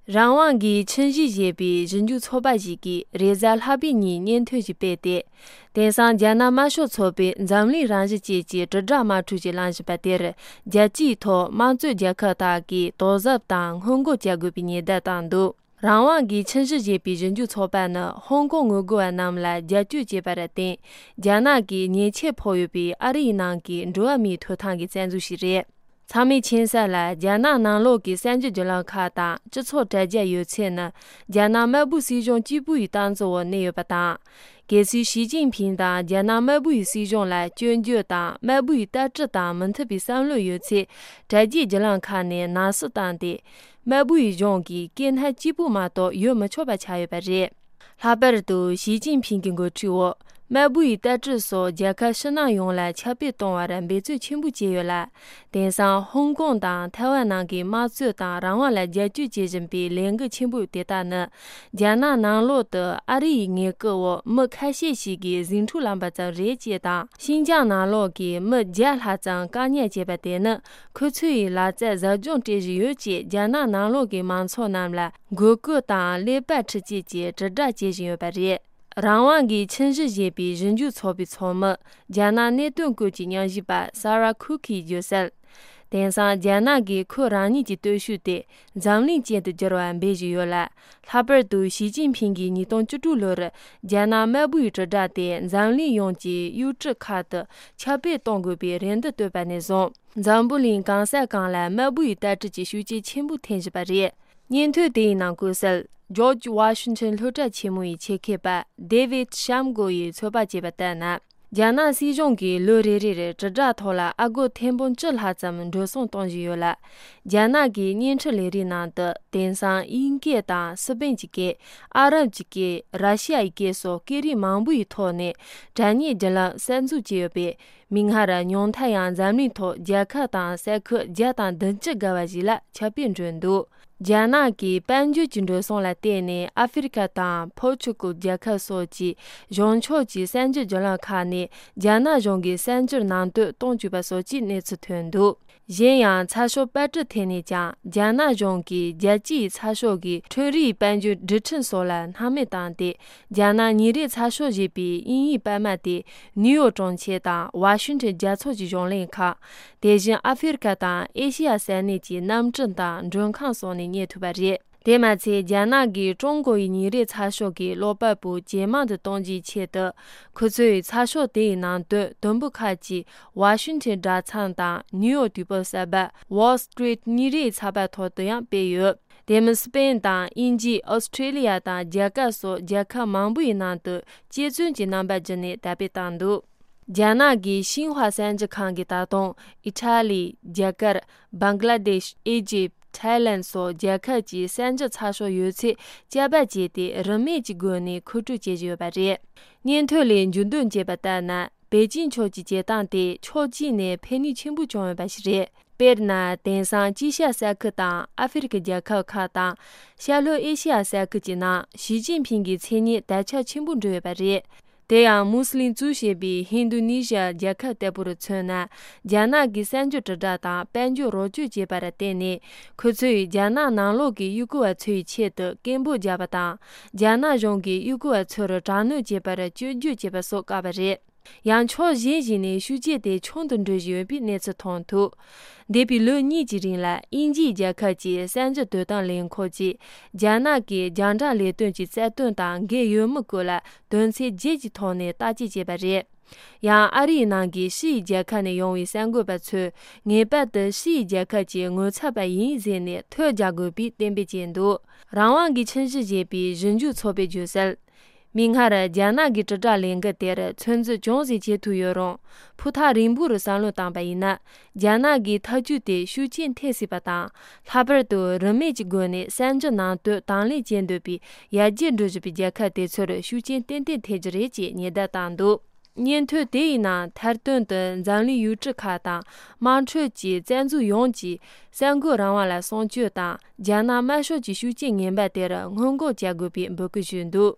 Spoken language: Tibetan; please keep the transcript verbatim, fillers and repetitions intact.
རང་དབང་གི་ཁྱིམ་གཞིས་ཞེས་པའི་ཞིབ་འཇུག་ཚོགས་པ་ཞིག་གིས་རེས་གཟའ་ལྷག་པའི་ཉིན་སྙན་ཐོ་ཞིག་སྤེལ་ཏེ། དེང་སང་རྒྱ་ནག་དམར་ཤོག་ཚོགས་པས་འཛམ་གླིང་རང་བཞིན་ཅན་གྱི་དྲིལ་བསྒྲགས་དམག་འཁྲུག་ཅིག་ལངས་བཞིན་པ་དེར། རྒྱལ་སྤྱིའི་ཐོག་དམངས་གཙོའི་རྒྱལ་ཁབ་དག་གིས་དོ་གཟབ་དང་སྔོན་འགོག་བྱ་དགོས་པའི་ཉེན་བརྡ་བཏང་འདུག་རང་དབང་གི་ཁྱིམ་གཞིས་ཞེས་པའི་ཞིབ་འཇུག་ཚོགས་པ་ནི་ཧོང་ཀོང་ངོ་རྒོལ་བ་རྣམས་ལ་རྒྱབ་སྐྱོར་བྱས་པར་བརྟེན། རྒྱ་ནག་གིས་ཉེས་ཆད་ཕོག་ཡོད་པའི་ཨ་རི་ཡི་ནང་གི་འགྲོ་བ་མིའི་ཐོབ་ཐང་གི་བཙན་འཛུལ་ཞིག་རེད། ཚང་མས་མཁྱེན་གསལ་ལ། རྒྱ་ནག་ནང་ལོགས་ཀྱི་གསར་འགྱུར་བརྒྱུད་ལམ་ཁག་དང་སྤྱི་ཚོགས་དྲ་རྒྱ་ཡོད་ཚད་ནི། རྒྱ་ནག་དམར་པོའི་སྲིད་གཞུང་གཅིག་པུ་ཡི་སྟངས་འཛིན་འོག་གནས་ཡོད་པ་དང་། གལ་སྲིད་ཞི་ཅིན་ཕིང་དང་རྒྱ་ནག་དམར་པོ་ཡི་སྲིད་གཞུང་ལ་སྐྱོན་བརྗོད་དང་དམར་པོ་ཡི་ལྟ་གྲུབ་དང་མི་མཐུན་པའི་བསམ་བློ་ཡོད་ཚེ། དྲ་རྒྱའི་བརྒྱུད་ལམ་ཁག་ནས་ནང་སྲིད་བཏང་སྟེ། དམར་པོ་ཡི་གཞུང་གིས་སྐྱེ་འཕེལ་གཅིག་པུ་མ་གཏོགས་ཡོད་མི་ཆོག་པ་ཆགས་ཡོད་པ་རེད། ལྷག་པར་དུ་ཞི་ཅིན་ཕིང་གི་འགོ་ཁྲིད་འོག་དམར་པོ་ཡི་ལྟ་གྲུབ་སོགས་རྒྱལ་ཁབ་ཕྱི་ནང་ཡོངས་ལ་ཁྱབ་སྤེལ་གཏོང་བར་འབད་བརྩོན་ཆེན་པོ་བྱས་ཡོད་ལ། དེང་སང་ཧོང་ཀོང་དང་ཐའེ་ཝན་ནང་གི་དམངས་གཙོ་དང་རང་དབང་ལ་རྒྱབ་སྐྱོར་བྱེད་བཞིན་པའི་ལས་འགུལ་ཆེན་པོ་དེ་དག་ནི། རྒྱ་ནག་ནང་ལོགས་སུ་ཨ་རི་ཡི་ངན་སྐུལ་འོག་མི་ཁ་ཤས་ཤིག་གིས་ཟིང་འཁྲུག་ལངས་པ་ཙམ་རེད་ཅེས་དང་། ཤིན་ཅང་ནང་ལོགས་ཀྱི་མི་བརྒྱ་ལྷག་ཙམ་བཀག་ཉར་བྱས་པ་དེ་ནི། ཁོ་ཚོའི་ལག་རྩལ་ཟབ་སྦྱོང་སྤྲད་བཞིན་ཡོད་ཅེས་རྒྱ་ནག་ནང་ལོགས་ཀྱི་མང་ཚོགས་རྣམས་ལ་འགོག་རྒོལ་དང་ཀླད་པ་འཁྲུད་བྱེད་ཀྱི་དྲིལ་བསྒྲགས་བྱེད་བཞིན་ཡོད་པ་རེད། རང་དབང་གི་ཁྱིམ་གཞིས་ཞེས་པའི་ཞིབ་འཇུག་ཚོགས་པའི་ཚོགས་མི། རྒྱ་ནག་གནད་དོན་སྐོར་གྱི་ཉམས་ཞིབ་པ་ས་ར་ཁུག་གིས་བརྗོད་གསལ། དེང་སང་རྒྱ་ནག་གིས་ཁོ་རང་ཉིད་ཀྱི་སྟོབས་ཤུགས་དེ་འཛམ་གླིང་ཅན་དུ་བསྒྱུར་བར་འབད་བཞིན་ཡོད་ལ། ལྷག་པར་དུ་ཞི་ཅིན་ཕིང་གིས་ཉིས་སྟོང་བཅུ་དྲུག་ལོར་རྒྱ་ནག་དམར་པོའི་དྲིལ་བསྒྲགས་དེ་འཛམ་གླིང་ཡོངས་ཀྱི་ཡུལ་གྲུ་ཁག་ཏུ་ཁྱབ་སྤེལ་གཏོང་དགོས་པའི་རེ་འདུན་བཏོན་པ་ནས་བཟུང་། འཛམ་བུ་གླིང་གང་ས་གང་ལ་དམར་པོའི་ལྟ་གྲུབ་ཀྱི་ཤུགས་རྐྱེན་ཆེན་པོ་ཐེབས་བཞིན་པ་རེད། སྙན་ཐོ་དེའི་ནང་བཀོད་གསལ། ཇོརྗ་ཝ་ཤིང་ཊོན་སློབ་གྲྭ་ཆེན་མོ་ཡི་ཆེད་མཁས་པ་ཌེ་ཝིད་ཤམ་གོ་ཡིས་ཚོད་དཔག་བྱས་པ་ལྟར་ན། རྒྱ་ནག་སྲིད་གཞུང་གིས་ལོ་རེ་རེར་དྲིལ་བསྒྲགས་ཐོག་ལ་ཨ་སྒོར་ཐེར་འབུམ་བཅུ་ལྷག་ཙམ་འགྲོ་སོང་གཏོང་བཞིན་ཡོད་ལ། རྒྱ་ནག་གི་བརྙན་འཕྲིན་ལས་རིགས་ནང་དུ་དེང་སང་དབྱིན་སྐད་དང་སི་པན་གྱི་སྐད། ཨ་རབ་ཀྱི་སྐད། ར་ཤི་ཡ་ཡི་སྐད་སོགས་སྐད་རིགས་མང་པོ་ཡི་ཐོག་ནས་དྲ་བརྙན་བརྒྱུད་ལམ་གསར་འཛུགས་བྱས་ཡོད་པས། མིག་སྔར་ཉུང་མཐའ་ཡང་འཛམ་གླིང་ཐོག་རྒྱལ་ཁབ་དང་ས་ཁུལ་བརྒྱ་དང་བདུན་ཅུ་བརྒལ་བ་ཞིག་ལ་ཁྱབ་སྤེལ་འགྲོ་འདུག་རྒྱ་ནག་གིས་དཔལ་འབྱོར་གྱི་འགྲོ་སོང་ལ་བརྟེན་ནས་ཨ་ཧྥེ་རི་ཁ་དང་ཕོར་ཆུ་ཀལ་རྒྱལ་ཁབ་སོགས་ཀྱི་གཞུང་ཕྱོགས་ཀྱི་གསར་འགྱུར་བརྒྱུད་ལམ་ཁག་ནས་རྒྱ་ནག་གཞུང་གིས་གསར་འགྱུར་ནང་དོན་གཏོང་བཅུག་པ་སོགས་ཀྱི་གནས་ཚུལ་ཐོན་འདུག་གཞན་ཡང་ཚགས་ཤོག་པར་སྐྲུན་ཐད་ནས་ཀྱང་རྒྱ་ནག་གཞུང་གིས་རྒྱལ་སྤྱིའི་ཚགས་ཤོག་གི་ཁྲོམ་རའི་དཔལ་འབྱོར་སྒྲིག་ཁྲིམས་སོགས་ལ་སྣང་མེད་བཏང་སྟེ། རྒྱ་ནག་ཉིན་རེའི་ཚགས་ཤོག་ཞེས་པའི་དབྱིན་ཡིག་པར་མ་དེ་ནིའུ་ཡོག་གྲོང་ཁྱེར་དང་ཝ་ཤིང་ཊོན་རྒྱལ་ཚོགས་ཀྱི་གཞུང་ལས་ཁང་། དེ་བཞིན་ཨ་ཧྥེ་རི་ཁ་དང་ཨེ་ཤེ་ཡ་ས་གནས་ཀྱི་གནམ་གྲུ་དང་མགྲོན་ཁང་སོགས་ནས་རྙེད་ཐུབ་པ་རེད། དེ་མ་ཚད་རྒྱ་ནག་གིས་ཀྲུང་གོ་ཡི་ཉིན་རེའི་ཚགས་ཤོག་གི་ཀློག་པ་པོ་ཇེ་མང་དུ་གཏོང་རྒྱུའི་ཆེད་དུ། ཁོ་ཚོས་ཚགས་ཤོག་དེའི་ནང་དོན་དུམ་བུ་ཁག་ཅིག་ཝ་ཤིང་ཊོན་དྲ་ཚང་དང་ནིའུ་ཡོག་དུས་བབ་གསར་པ་Wall Street་ཉིན་རེའི་ཚགས་པར་ཐོག་ཏུ་ཡང་སྤེལ་ཡོད། དེ་མིན་སི་པེན་དང་དབྱིན་ཇི། ཨོ་སི་ཁྲེ་ལི་ཡ་དང་རྒྱ་གར་སོགས་རྒྱལ་ཁབ་མང་པོ་ཡི་ནང་དུ་དཔྱད་རྩོམ་གྱི་རྣམ་པ་བརྒྱུད་ནས་དར་སྤེལ་བཏང་འདུག་རྒྱ་ནག་གི་ཤིན་ཧྭ་གསར་འགྱུར་ཁང་གིས་ད་དུང་ཨི་ཊ་ལི། རྒྱ་གར། བང་ག་ལ་དེཤ། ཨི་ཇིབ། ཐའི་ལན་སོགས་རྒྱལ་ཁབ་ཀྱི་གསར་འགྱུར་ཚགས་ཤོག་ཡོད་ཚད་བསྐྱར་པར་བྱས་ཏེ་རིན་མེད་ཀྱི་སྒོ་ནས་མཁོ་སྤྲོད་བྱེད་བཞིན་ཡོད་པ་རེད། སྙན་ཐོ་ལས་མཇུག་སྡོམ་བྱས་པ་ལྟར་ན། པེ་ཅིན་ཕྱོགས་ཀྱི་བྱེད་སྟངས་དེ་ཕྱོགས་གཅིག་ནས་ཕན་ནུས་ཆེན་པོ་བྱུང་ཡོད་པ་ཞིག་རེད། དཔེར་ན། དེང་སང་དཀྱིལ་ཤར་ས་ཁུལ་དང་ཨ་ཧྥེ་རི་ཁའི་རྒྱལ་ཁབ་ཁག་དང་། ཤར་ལྷོ་ཨེ་ཤེ་ཡ་ས་ཁུལ་གྱི་ནང་ཞི་ཅིན་ཕིང་གི་མཚན་སྙན་དར་ཁྱབ་ཆེན་པོ་འགྲོ་ཡོད་པ་རེད། དེ་ཡང་མུ་སི་ལིམ་གཙོས་བྱས་པའི་ཧིན་རྡུ་ནི་ཞི་ཡ་རྒྱལ་ཁབ་ལྟ་བུར་མཚོན་ན། རྒྱ་ནག་གིས་གསར་འགྱུར་དྲིལ་བསྒྲགས་དང་དཔལ་འབྱོར་རོགས་སྐྱོར་བྱས་པར་བརྟེན་ནས། ཁོ་ཚོས་རྒྱ་ནག་ནང་ལོགས་ཀྱི་ཡུལ་སྐོར་བ་ཚོའི་ཆེད་དུ་སྐད་འབོད་བརྒྱབ་པ་དང་། རྒྱ་ནག་གཞུང་གིས་ཡུལ་སྐོར་བ་ཚོར་དྲག་གནོན་བྱེད་པར་སྐྱོན་བརྗོད་བྱས་པ་སོགས་བཀག་པ་རེད། ཡང་ཕྱོགས་གཞན་ཞིག་ནས་ཤུགས་རྐྱེན་དེ་ཆུང་དུ་འགྲོ་བཞིན་ཡོད་པའི་གནས་ཚུལ་མཐོང་ཐུབ། འདས་པའི་ལོ་གཉིས་ཀྱི་རིང་ལ་དབྱིན་ཇིའི་རྒྱལ་ཁབ་ཀྱི་གསར་འགྱུར་དོ་དམ་ལས་ཁུངས་ཀྱིས་རྒྱ་ནག་གི་རྒྱང་བསྒྲགས་ལས་དོན་གྱི་རྩ་དོན་དང་འགལ་ཡོད་མེད་སྐོར་ལ་དོན་ཚན་བརྒྱད་ཀྱི་ཐོག་ནས་བརྟག་དཔྱད་བྱས་པ་རེད། ཡང་ཨ་རིའི་ནང་གི་ཕྱི་ཡི་རྒྱལ་ཁབ་ནས་ཡོང་བའི་གསར་འགོད་པ་ཚོས་ངེས་པར་དུ་ཕྱི་ཡི་རྒྱལ་ཁབ་ཀྱི་ངོ་ཚབ་པ་ཡིན་ཟེར་ནས་ཐོ་རྒྱག་དགོས་པའི་གཏན་འབེབས་བྱས་འདུག་རང་དབང་གི་ཁྱིམ་གཞིས་ཞེས་པའི་ཞིབ་འཇུག་ཚོགས་པས་བརྗོད་གསལ། མིག་སྔར་རྒྱ་ནག་གི་དྲིལ་བསྒྲགས་ལས་འགུལ་དེར་ཚོད་འཛིན་ཅུང་ཟད་བྱེད་ཐུབ་ཡོད་རུང་། ཕུགས་ཐག་རིང་པོར་བསམ་བློ་བཏང་པ་ཡིན་ན། རྒྱ་ནག་གི་ཐབས་ཇུས་དེ་ཤུགས་རྐྱེན་ཐེབས་སྲིད་པ་དང་། ལྷག་པར་དུ་རིན་མེད་ཀྱི་སྒོ་ནས་གསར་འགྱུར་ནང་དོན་དང་ལེན་བྱེད་འདོད་པའི་ཡར་རྒྱས་འགྲོ་བཞིན་པའི་རྒྱལ་ཁབ་དེ་ཚོར་ཤུགས་རྐྱེན་ཏན་ཏན་ཐེབས་རྒྱུ་རེད་ཅེས་ཉེན་བརྡ་བཏང་འདུག་སྙན་ཐོ་དེ་ཡི་ནང་མཐར་དོན་དུ་འཛམ་གླིང་ཡུལ་གྲུ་ཁག་དང་དམངས་ཁྲོད་ཀྱི་བཙན་འཛུལ་ཡོངས་ཀྱིས་གསར་འགོད་རང་དབང་ལ་སྲུང་སྐྱོབ་དང་། རྒྱ་ནག་དམར་ཤོག་གི་ཤུགས་རྐྱེན་ངན་པ་དེར་སྔོན་འགོག་བྱ་དགོས་པའི་འབོད་སྐུལ་ཞུས་འདུག